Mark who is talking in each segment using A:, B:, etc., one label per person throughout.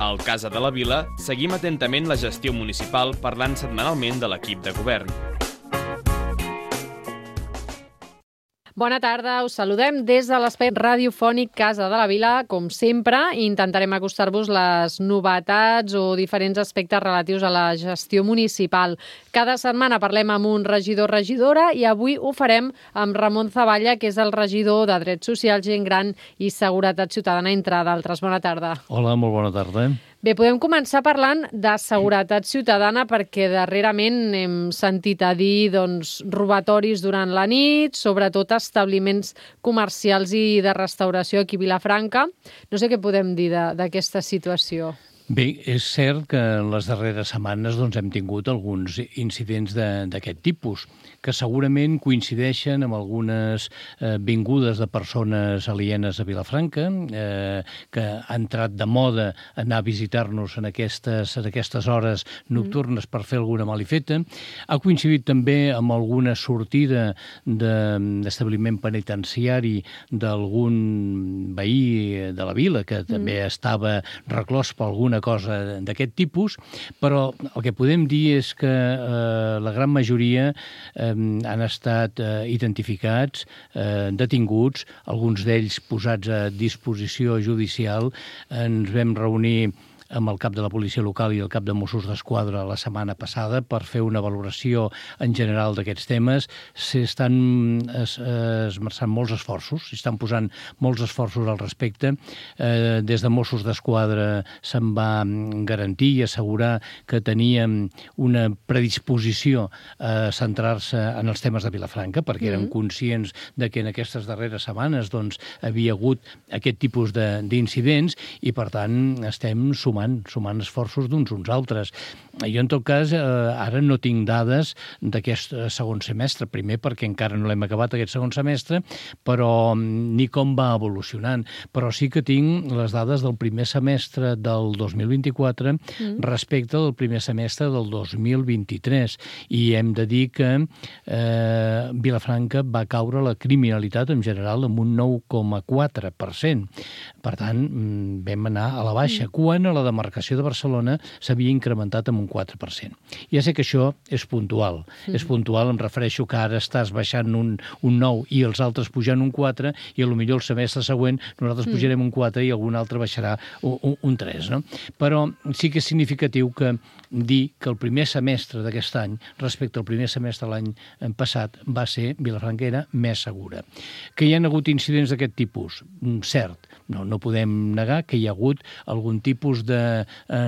A: Al Casa de la Vila seguim atentament la gestió municipal parlant setmanalment de l'equip de govern.
B: Bona tarda, us saludem des de l'espai radiofònic Casa de la Vila. Com sempre, intentarem acostar-vos les novetats o diferents aspectes relatius a la gestió municipal. Cada setmana parlem amb un regidor o regidora i avui ho farem amb Ramon Zavalla, que és el regidor de Drets Socials, Gent Gran i Seguretat Ciutadana, entre d'altres. Bona tarda.
C: Hola, molt bona tarda.
B: Bé, podem començar parlant de seguretat ciutadana perquè darrerament hem sentit a dir robatoris durant la nit, sobretot a establiments comercials i de restauració aquí a Vilafranca. No sé què podem dir d'aquesta situació.
C: Bé, és cert que en les darreres setmanes hem tingut alguns incidents d'aquest tipus, que segurament coincideixen amb algunes vingudes de persones alienes a Vilafranca, que ha entrat de moda anar a visitar-nos en aquestes hores nocturnes per fer alguna malifeta. Ha coincidit també amb alguna sortida d'establiment penitenciari d'algun veí de la vila, que també estava reclòs per alguna cosa d'aquest tipus, però el que podem dir és que la gran majoria han estat identificats, detinguts, alguns d'ells posats a disposició judicial. Ens vam reunir amb el cap de la policia local i el cap de Mossos d'Esquadra la setmana passada per fer una valoració en general d'aquests temes. S'estan esmerçant molts esforços, s'estan posant molts esforços al respecte. Des de Mossos d'Esquadra se'n va garantir i assegurar que teníem una predisposició a centrar-se en els temes de Vilafranca, perquè érem conscients de que en aquestes darreres setmanes havia hagut aquest tipus d'incidents i, per tant, estem sumant esforços d'uns uns altres. Jo, en tot cas, ara no tinc dades d'aquest segon semestre, primer perquè encara no l'hem acabat aquest segon semestre, però ni com va evolucionant. Però sí que tinc les dades del primer semestre del 2024 respecte del primer semestre del 2023. I hem de dir que Vilafranca va caure la criminalitat en general amb un 9,4%. Per tant, vam anar a la baixa, quan a la demarcació de Barcelona s'havia incrementat amb un 4%. Ja sé que això és puntual. És puntual, em refereixo que ara estàs baixant un 9 i els altres pujant un 4 i potser el semestre següent nosaltres pujarem un 4 i algun altre baixarà un 3. No? Però sí que és significatiu dir que el primer semestre d'aquest any respecte al primer semestre de l'any passat va ser, Vilafranca era més segura. Que hi ha hagut incidents d'aquest tipus? Cert. No podem negar que hi ha hagut algun tipus de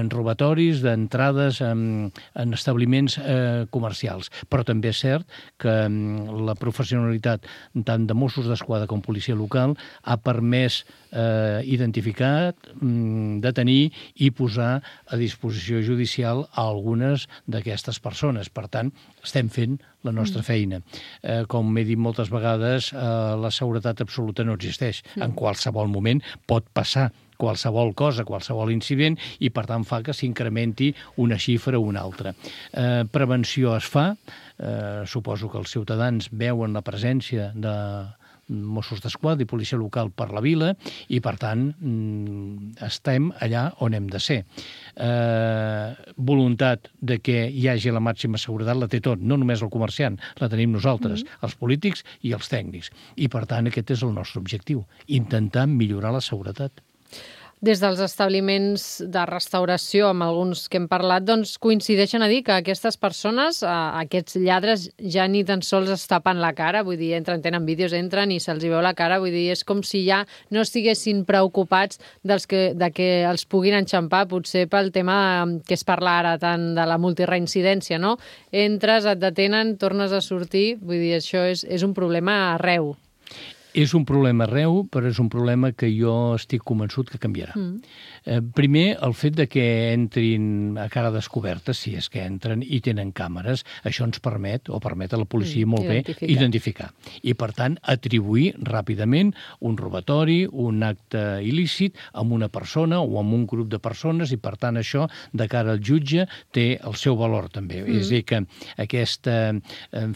C: robatoris, d'entrades en establiments comercials. Però també és cert que la professionalitat tant de Mossos d'Esquadra com policia local ha permès identificar, detenir i posar a disposició judicial a algunes d'aquestes persones. Per tant, estem fent la nostra feina. Com he dit moltes vegades, la seguretat absoluta no existeix. En qualsevol moment pot passar qualsevol cosa, qualsevol incident, i per tant fa que s'incrementi una xifra o una altra. Prevenció es fa, suposo que els ciutadans veuen la presència de Mossos d'Esquadra i policia local per la vila i, per tant, estem allà on hem de ser. Voluntat de que hi hagi la màxima seguretat la té tot, no només el comerciant, la tenim nosaltres, els polítics i els tècnics. I, per tant, aquest és el nostre objectiu, intentar millorar la seguretat.
B: Des dels establiments de restauració, amb alguns que hem parlat, coincideixen a dir que aquestes persones, aquests lladres, ja ni tan sols es tapen la cara, vull dir, tenen vídeos, entren i se'ls veu la cara, vull dir, és com si ja no estiguessin preocupats de que els puguin enxampar, potser pel tema que es parla ara tant de la multireincidència, no? Entres, et detenen, tornes a sortir, vull dir, això és un problema arreu.
C: És un problema arreu, però és un problema que jo estic convençut que canviarà. Primer, el fet de que entrin a cara descoberta, si és que entren i tenen càmeres, això ens permet a la policia molt bé identificar. I, per tant, atribuir ràpidament un robatori, un acte il·lícit amb una persona o amb un grup de persones i, per tant, això, de cara al jutge, té el seu valor també. És a dir, que aquesta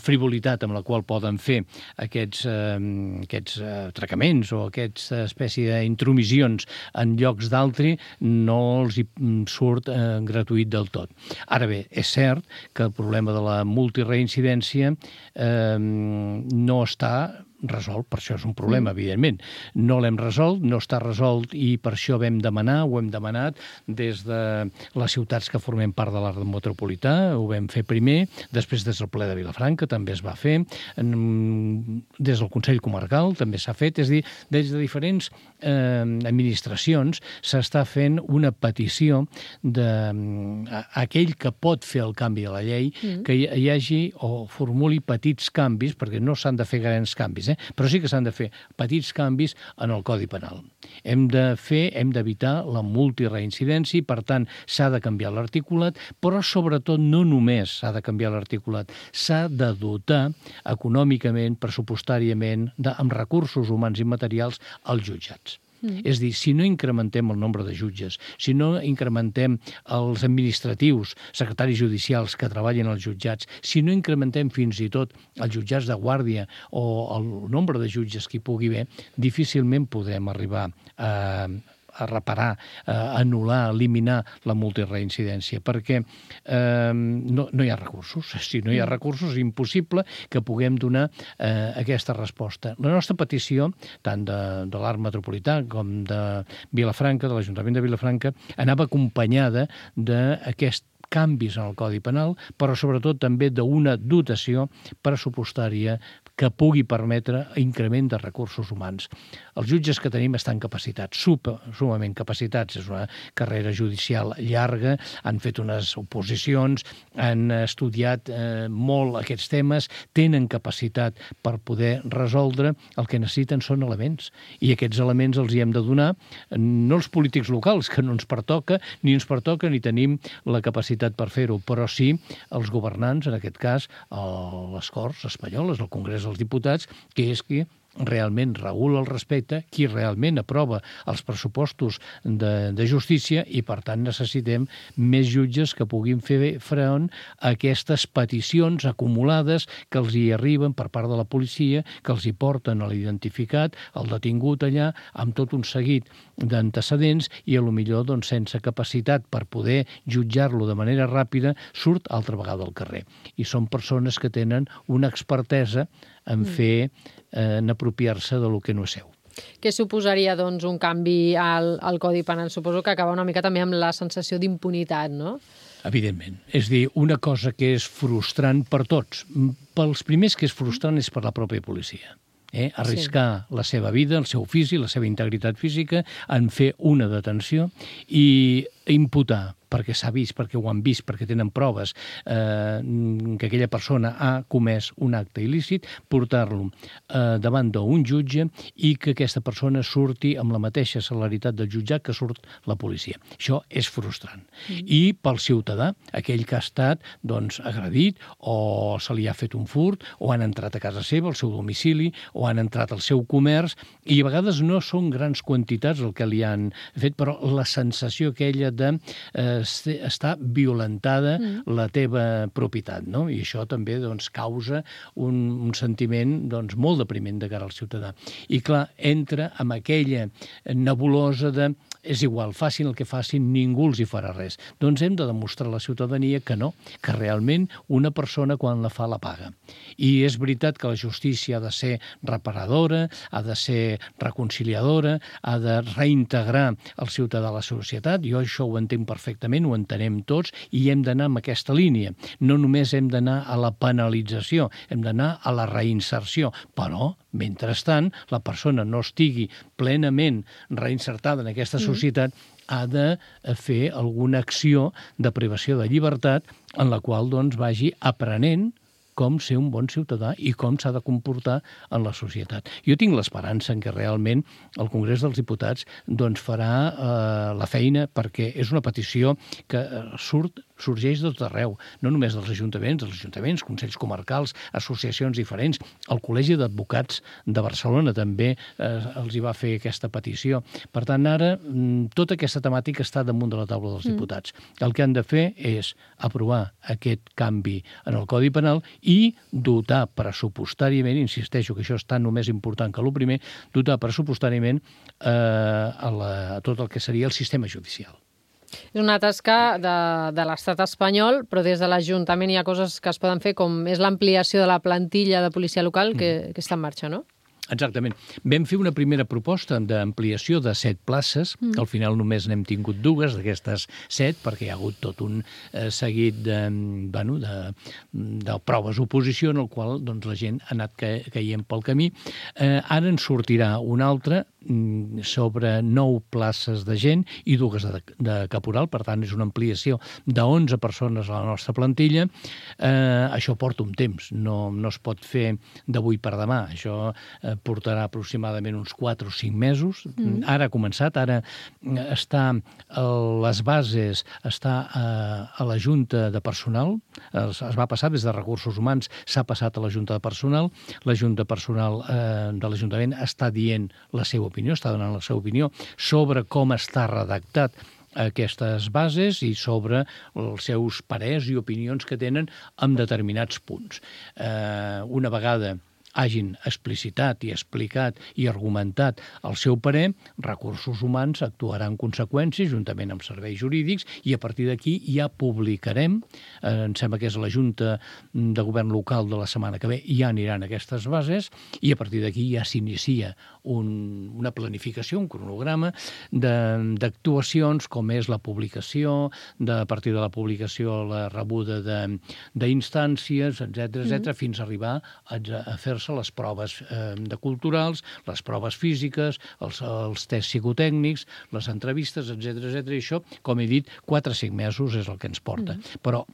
C: frivolitat amb la qual poden fer aquests aquests atracaments o aquesta espècie d'intromissions en llocs d'altri no els hi surt gratuït del tot. Ara bé, és cert que el problema de la multireincidència no està resolt, per això és un problema, evidentment. No l'hem resolt, no està resolt i per això ho hem demanat des de les ciutats que formem part de l'àrea metropolità, ho vam fer primer, després des del ple de Vilafranca també es va fer, des del Consell Comarcal també s'ha fet, és a dir, des de diferents administracions s'està fent una petició d'aquell que pot fer el canvi de la llei, que hi hagi o formuli petits canvis, perquè no s'han de fer grans canvis, però sí que s'han de fer petits canvis en el Codi Penal. Hem d'evitar la multireincidència i, per tant, s'ha de canviar l'articulat, però sobretot no només s'ha de canviar l'articulat, s'ha de dotar econòmicament, pressupostàriament, amb recursos humans i materials als jutjats. És a dir, si no incrementem el nombre de jutges, si no incrementem els administratius, secretaris judicials que treballen als jutjats, si no incrementem fins i tot els jutjats de guàrdia o el nombre de jutges que hi pugui haver, difícilment podrem arribar a reparar, a anul·lar, a eliminar la multireincidència, perquè no hi ha recursos. Si no hi ha recursos, és impossible que puguem donar aquesta resposta. La nostra petició, tant de l'Arc Metropolità com de Vilafranca, de l'Ajuntament de Vilafranca, anava acompanyada d'aquest canvis en el Codi Penal, però sobretot també d'una dotació pressupostària que pugui permetre increment de recursos humans. Els jutges que tenim estan capacitats, sumament capacitats. És una carrera judicial llarga, han fet unes oposicions, han estudiat molt aquests temes, tenen capacitat per poder resoldre. El que necessiten són elements, i aquests elements els hi hem de donar no els polítics locals, que no ens pertoca, ni tenim la capacitat per fer-ho, però sí els governants, en aquest cas les Corts Espanyoles, el Congrés dels Diputats, que és qui realment regula el respecte, qui realment aprova els pressupostos de justícia, i per tant necessitem més jutges que puguin fer front a aquestes peticions acumulades que els hi arriben per part de la policia, que els hi porten a l'identificat, el detingut allà, amb tot un seguit d'antecedents, i potser sense capacitat per poder jutjar-lo de manera ràpida, surt altra vegada al carrer. I són persones que tenen una expertesa en en apropiar-se de lo que no és seu.
B: Què suposaria, doncs, un canvi al Codi Penal? Suposo que acaba una mica també amb la sensació d'impunitat, no?
C: Evidentment. És a dir, una cosa que és frustrant per tots. Pels primers que és frustrant és per la pròpia policia. Arriscar la seva vida, el seu físic, la seva integritat física, en fer una detenció i imputar, perquè s'ha vist, perquè ho han vist, perquè tenen proves que aquella persona ha comès un acte il·lícit, portar-lo davant d'un jutge i que aquesta persona surti amb la mateixa celeritat del jutjat que surt la policia. Això és frustrant. I pel ciutadà, aquell que ha estat agredit, o se li ha fet un furt, o han entrat a casa seva, al seu domicili, o han entrat al seu comerç, i a vegades no són grans quantitats el que li han fet, però la sensació aquella de està violentada la teva propietat, no? I això també causa un sentiment molt depriment de cara al ciutadà. I clar, entra amb aquella nebulosa de és igual, facin el que facin, ningú els hi farà res. Doncs hem de demostrar a la ciutadania que no, que realment una persona quan la fa la paga. I és veritat que la justícia ha de ser reparadora, ha de ser reconciliadora, ha de reintegrar el ciutadà a la societat. Jo això ho entenc perfectament, ho entenem tots, i hem d'anar en aquesta línia. No només hem d'anar a la penalització, hem d'anar a la reinserció, però mentrestant, la persona no estigui plenament reinsertada en aquesta societat, ha de fer alguna acció de privació de llibertat en la qual vagi aprenent com ser un bon ciutadà i com s'ha de comportar en la societat. Jo tinc l'esperança en que realment el Congrés dels Diputats farà la feina, perquè és una petició que surt sorgeix de tot arreu, no només dels ajuntaments, consells comarcals, associacions diferents. El Col·legi d'Advocats de Barcelona també els hi va fer aquesta petició. Per tant, ara tota aquesta temàtica està damunt de la taula dels diputats. El que han de fer és aprovar aquest canvi en el Codi Penal i dotar pressupostàriament, insisteixo que això és tan o més important que el primer, dotar pressupostàriament a tot el que seria el sistema judicial.
B: És una tasca de l'estat espanyol, però des de l'Ajuntament hi ha coses que es poden fer, com és l'ampliació de la plantilla de policia local que està en marxa, no?
C: Exactament. Vam fer una primera proposta d'ampliació de 7 places, que al final només n'hem tingut 2 d'aquestes 7, perquè hi ha hagut tot un seguit de proves d'oposició en el qual la gent ha anat caient pel camí. Ara en sortirà una altra sobre 9 places de gent i 2 de caporal, per tant és una ampliació de 11 persones a la nostra plantilla. Això porta un temps, no es pot fer d'avui per demà, això portarà aproximadament uns 4 o 5 mesos. Ara ha començat, ara està les bases, està a la Junta de Personal, es va passar des de Recursos Humans, s'ha passat a la Junta de Personal, la Junta de Personal de l'Ajuntament està dient la seva opinió, està donant la seva opinió sobre com està redactat aquestes bases i sobre els seus parers i opinions que tenen en determinats punts. Una vegada hagin explicitat i explicat i argumentat el seu parer, Recursos Humans actuarà en conseqüència juntament amb serveis jurídics i a partir d'aquí ja publicarem, em sembla que és la Junta de Govern Local de la setmana que ve, ja aniran aquestes bases i a partir d'aquí ja s'inicia una planificació, un cronograma d'actuacions com és la publicació, a partir de la publicació la rebuda d'instàncies, etc., fins a arribar a fer les proves de culturals, les proves físiques, els tests psicotècnics, les entrevistes, etc. I això, com he dit, 4 o 5 mesos és el que ens porta. Però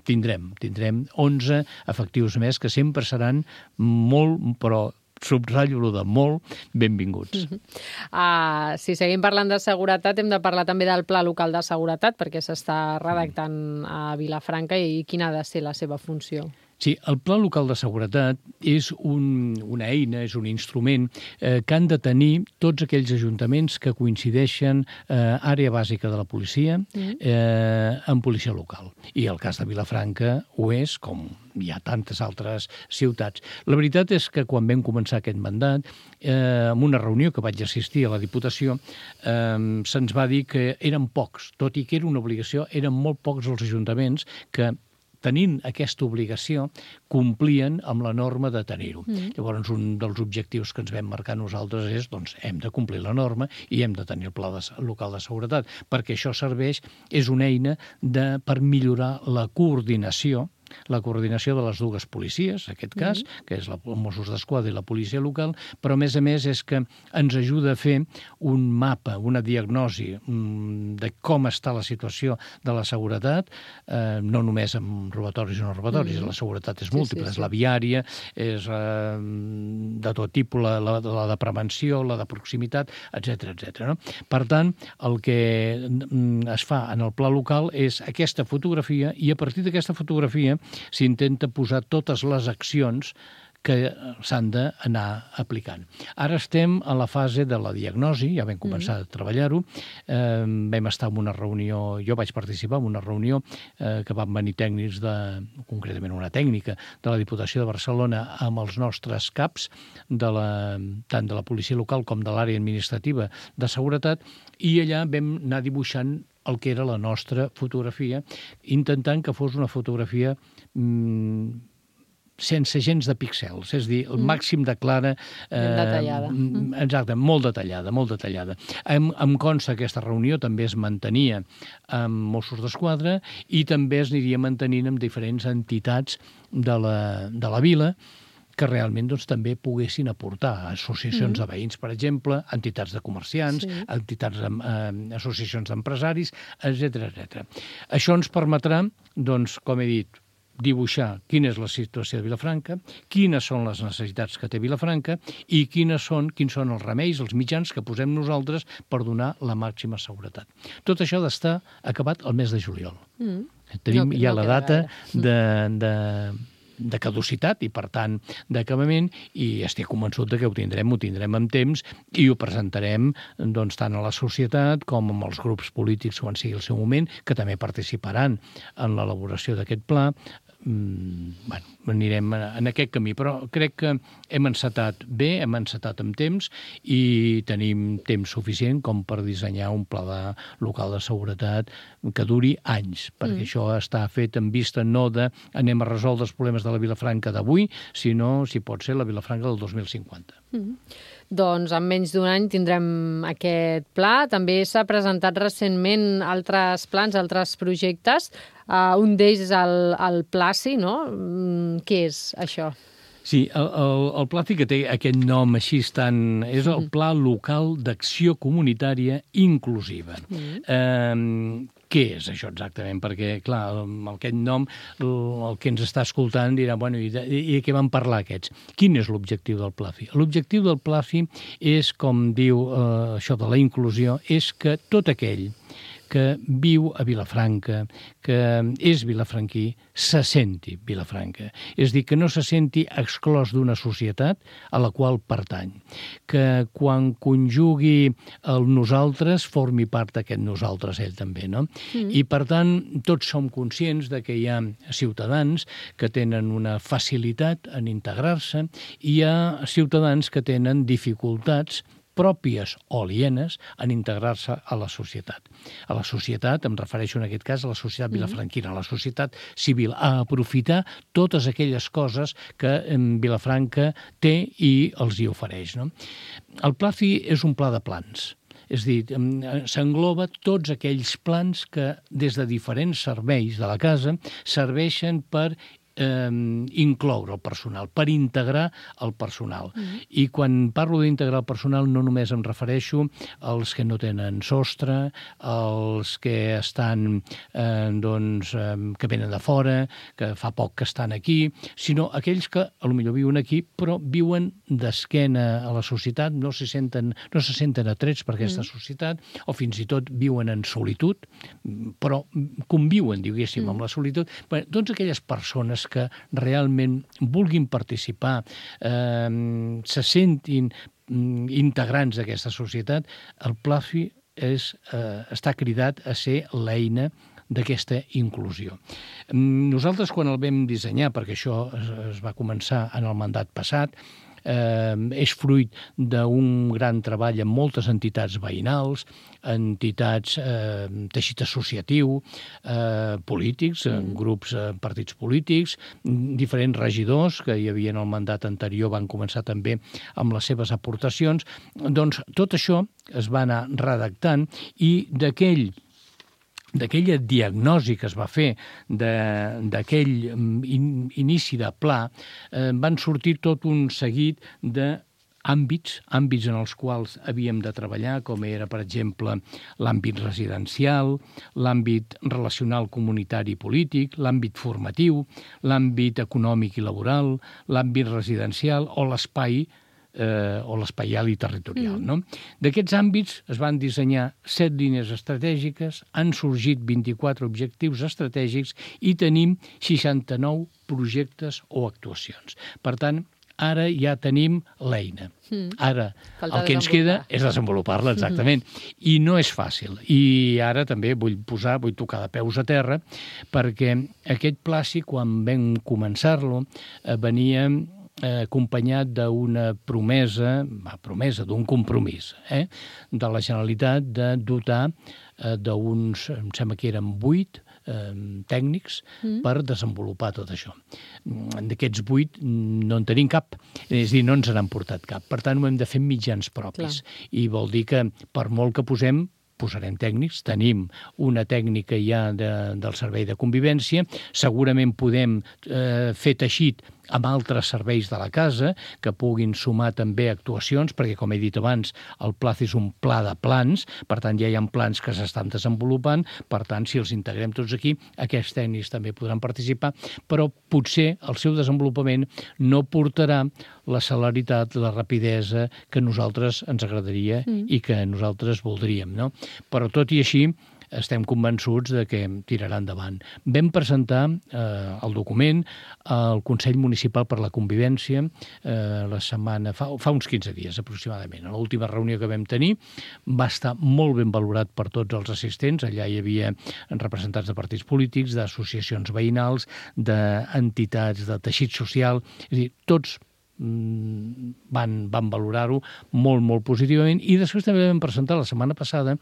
C: tindrem 11 efectius més que sempre seran molt, però subratllo de molt, benvinguts.
B: Si seguim parlant de seguretat, hem de parlar també del Pla Local de Seguretat, perquè s'està redactant a Vilafranca i quina ha de ser la seva funció.
C: Sí, el Pla Local de Seguretat és una eina, és un instrument que han de tenir tots aquells ajuntaments que coincideixen àrea bàsica de la policia en policia local. I el cas de Vilafranca ho és, com hi ha tantes altres ciutats. La veritat és que quan vam començar aquest mandat, en una reunió que vaig assistir a la Diputació, se'ns va dir que eren pocs, tot i que era una obligació, eren molt pocs els ajuntaments que tenint aquesta obligació, complien amb la norma de tenir-ho. Llavors, un dels objectius que ens vam marcar nosaltres és, doncs, hem de complir la norma i hem de tenir el Pla Local de Seguretat, perquè això serveix, és una eina per millorar la coordinació de les 2 policies, en aquest cas, que és els Mossos d'Esquadra i la policia local, però a més és que ens ajuda a fer un mapa, una diagnosi de com està la situació de la seguretat, no només amb robatoris o no robatoris, la seguretat és múltiple, és la viària, és de tot tipus, la de prevenció, la de proximitat, etc. Per tant, el que es fa en el pla local és aquesta fotografia i a partir d'aquesta fotografia s'intenta posar totes les accions que s'han d'anar aplicant. Ara estem a la fase de la diagnosi, ja vam començar a treballar-ho, vam estar en una reunió, jo vaig participar en una reunió que van venir tècnics, concretament una tècnica de la Diputació de Barcelona amb els nostres caps, tant de la policia local com de l'àrea administrativa de seguretat, i allà vam anar dibuixant el que era la nostra fotografia, intentant que fos una fotografia sense gens de píxels, és a dir, el màxim de clara...
B: detallada.
C: Exacte, molt detallada. Em consta que aquesta reunió també es mantenia amb Mossos d'Esquadra i també es aniria mantenint amb diferents entitats de la vila que realment també poguessin aportar associacions de veïns, per exemple, entitats de comerciants, associacions d'empresaris, etc. Això ens permetrà, com he dit, dibuixar quina és la situació de Vilafranca, quines són les necessitats que té Vilafranca i quins són els remeis, els mitjans que posem nosaltres per donar la màxima seguretat. Tot això ha d'estar acabat el mes de juliol. Tenim ja la data de caducitat i, per tant, d'acabament, i estic convençut que ho tindrem amb temps i ho presentarem tant a la societat com amb els grups polítics quan sigui el seu moment, que també participaran en l'elaboració d'aquest pla. Anirem en aquest camí, però crec que hem encetat bé, hem encetat amb temps i tenim temps suficient com per dissenyar un pla local de seguretat que duri anys, perquè això està fet en vista no de anem a resoldre els problemes de la Vilafranca d'avui, sinó, si pot ser, la Vilafranca del 2050.
B: Doncs en menys d'un any tindrem aquest pla. També s'ha presentat recentment altres plans, altres projectes. Un d'ells és el Placi, no? Què és això?
C: Sí, el Placi, que té aquest nom així tan... és el Pla Local d'Acció Comunitària Inclusiva. Què és això exactament? Perquè, clar, amb aquest nom, el que ens està escoltant dirà, bueno, i de què van parlar aquests? Quin és l'objectiu del Placi? L'objectiu del Placi és, com diu això de la inclusió, és que tot aquell que viu a Vilafranca, que és vilafranquí, se senti Vilafranca. És a dir, que no se senti exclòs d'una societat a la qual pertany. Que quan conjugui el nosaltres formi part d'aquest nosaltres ell també, no? I, per tant, tots som conscients de que hi ha ciutadans que tenen una facilitat en integrar-se i hi ha ciutadans que tenen dificultats pròpies o alienes en integrar-se a la societat. A la societat, em refereixo en aquest cas a la societat vilafranquina, a la societat civil, a aprofitar totes aquelles coses que Vilafranca té i els hi ofereix, no? El Placi és un pla de plans. És a dir, s'engloba tots aquells plans que des de diferents serveis de la casa serveixen per incloure el personal, per integrar el personal. I quan parlo d'integrar el personal no només em refereixo als que no tenen sostre, als que estan, que venen de fora, que fa poc que estan aquí, sinó aquells que potser viuen aquí però viuen d'esquena a la societat, no se senten atrets per aquesta societat, o fins i tot viuen en solitud, però conviuen, diguéssim, amb la solitud. Doncs aquelles persones que realment vulguin participar, se sentin integrants d'aquesta societat, el Placi està cridat a ser l'eina d'aquesta inclusió. Nosaltres, quan el vam dissenyar, perquè això es va començar en el mandat passat, és fruit d'un gran treball amb moltes entitats veïnals, entitats, teixit associatiu, polítics, grups, partits polítics, diferents regidors que hi havia en el mandat anterior van començar també amb les seves aportacions. Doncs tot això es va anar redactant i d'aquella diagnosi que es va fer d'aquell inici de pla, van sortir tot un seguit d'àmbits en els quals havíem de treballar, com era, per exemple, l'àmbit residencial, l'àmbit relacional comunitari i polític, l'àmbit formatiu, l'àmbit econòmic i laboral, l'àmbit residencial o l'espai l'espaial i territorial. No? D'aquests àmbits es van dissenyar 7 línies estratègiques, han sorgit 24 objectius estratègics i tenim 69 projectes o actuacions. Per tant, ara ja tenim l'eina. Ara el que ens queda és desenvolupar-la, exactament. I no és fàcil. I ara també vull tocar de peus a terra, perquè aquest Placi, quan vam començar-lo, venia acompanyat d'una promesa, d'un compromís de la Generalitat de dotar d'uns, em sembla que eren 8 tècnics per desenvolupar tot això. D'aquests 8 no en tenim cap, és a dir, no ens n'han portat cap. Per tant, ho hem de fer amb mitjans propis. I vol dir que per molt que posarem tècnics, tenim una tècnica ja del servei de convivència, segurament podem fer teixit amb altres serveis de la casa, que puguin sumar també actuacions, perquè, com he dit abans, el PLAZ és un pla de plans, per tant, ja hi ha plans que s'estan desenvolupant, per tant, si els integrem tots aquí, aquests tècnics també podran participar, però potser el seu desenvolupament no portarà la celeritat, la rapidesa que a nosaltres ens agradaria i que nosaltres voldríem, no? Però tot i així, estem convençuts de que tirarà endavant. Vam presentar el document al Consell Municipal per la Convivència la setmana, fa uns 15 dies aproximadament. A l'última reunió que vam tenir va estar molt ben valorat per tots els assistents. Allà hi havia representants de partits polítics, d'associacions veïnals, d'entitats de teixit social, és a dir, tots van valorar-ho molt, molt positivament, i després també vam presentar la setmana passada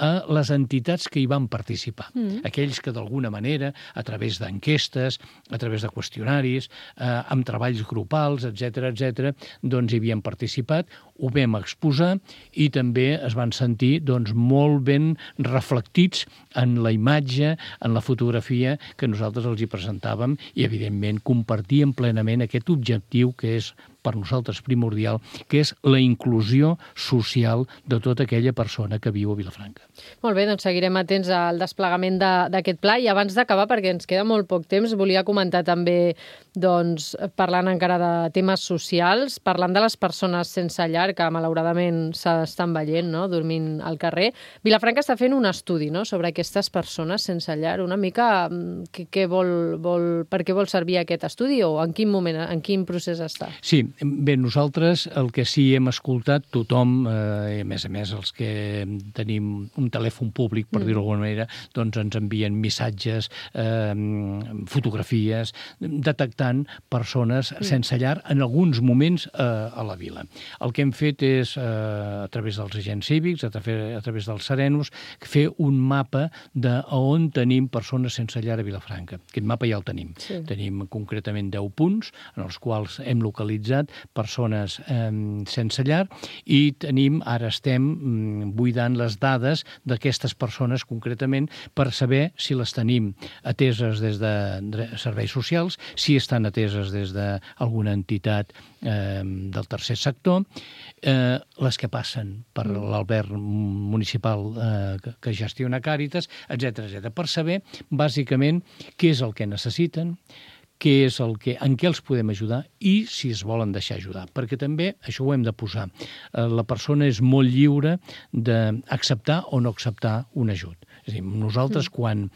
C: a les entitats que hi van participar. Aquells que d'alguna manera, a través d'enquestes, a través de qüestionaris, amb treballs grupals, etc, doncs hi havien participat, ho vam exposar i també es van sentir molt ben reflectits en la imatge, en la fotografia que nosaltres els hi presentàvem, i evidentment compartíem plenament aquest objectiu que és per nosaltres primordial, que és la inclusió social de tota aquella persona que viu a Vilafranca.
B: Molt bé, doncs seguirem atents al desplegament d'aquest pla, i abans d'acabar, perquè ens queda molt poc temps, volia comentar també, doncs, parlant encara de temes socials, parlant de les persones sense llar, que malauradament s'estan veient, no?, dormint al carrer. Vilafranca està fent un estudi, no?, sobre aquestes persones sense llar. Una mica per què vol servir aquest estudi, o en quin moment, en quin procés està?
C: Sí, bé, nosaltres el que sí hem escoltat, tothom, a més els que tenim un telèfon públic, per dir-ho d'alguna manera, doncs ens envien missatges, fotografies, detectant persones sense llar en alguns moments a la vila. El que hem fet és, a través dels agents cívics, a través dels serenos, fer un mapa d'on tenim persones sense llar a Vilafranca. Aquest mapa ja el tenim. Sí. Tenim concretament 10 punts en els quals hem localitzat persones sense llar, i ara estem buidant les dades d'aquestes persones concretament per saber si les tenim ateses des de serveis socials, si estan ateses des d'alguna entitat del tercer sector, les que passen per l'alberg municipal que gestiona Càritas, etc, per saber bàsicament què és el que necessiten, en què els podem ajudar i si es volen deixar ajudar. Perquè també, això ho hem de posar, la persona és molt lliure d'acceptar o no acceptar un ajut. És a dir, nosaltres, quan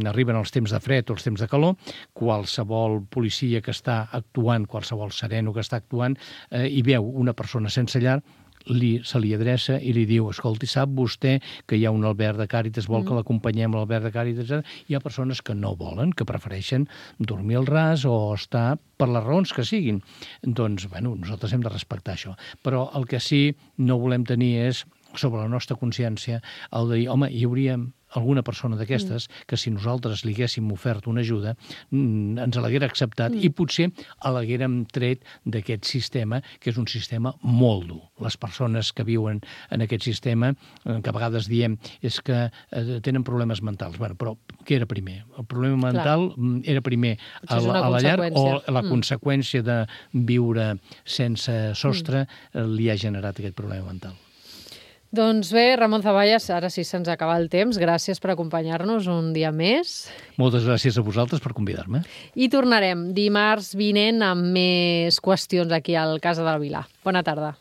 C: arriben els temps de fred o els temps de calor, qualsevol policia que està actuant, qualsevol sereno que està actuant, i veu una persona sense llar, se li adreça i li diu: escolti, sap vostè que hi ha un alberg de Càritas, vol que l'acompanyem a l'alberg de Càritas? Hi ha persones que no volen, que prefereixen dormir al ras o estar per les raons que siguin. Doncs, nosaltres hem de respectar això. Però el que sí no volem tenir és, sobre la nostra consciència, el de dir, home, hi hauria alguna persona d'aquestes que, si nosaltres li haguéssim ofert una ajuda, ens l'haguera acceptat i potser l'haguérem tret d'aquest sistema, que és un sistema molt dur. Les persones que viuen en aquest sistema, que a vegades diem, és que tenen problemes mentals. Però què era primer? El problema mental era primer a la llar, o la conseqüència de viure sense sostre li ha generat aquest problema mental?
B: Doncs bé, Ramon Zaballas, ara sí se'ns acaba el temps. Gràcies per acompanyar-nos un dia més.
C: Moltes gràcies a vosaltres per convidar-me.
B: I tornarem dimarts vinent amb més qüestions aquí al Casa del Vilà. Bona tarda.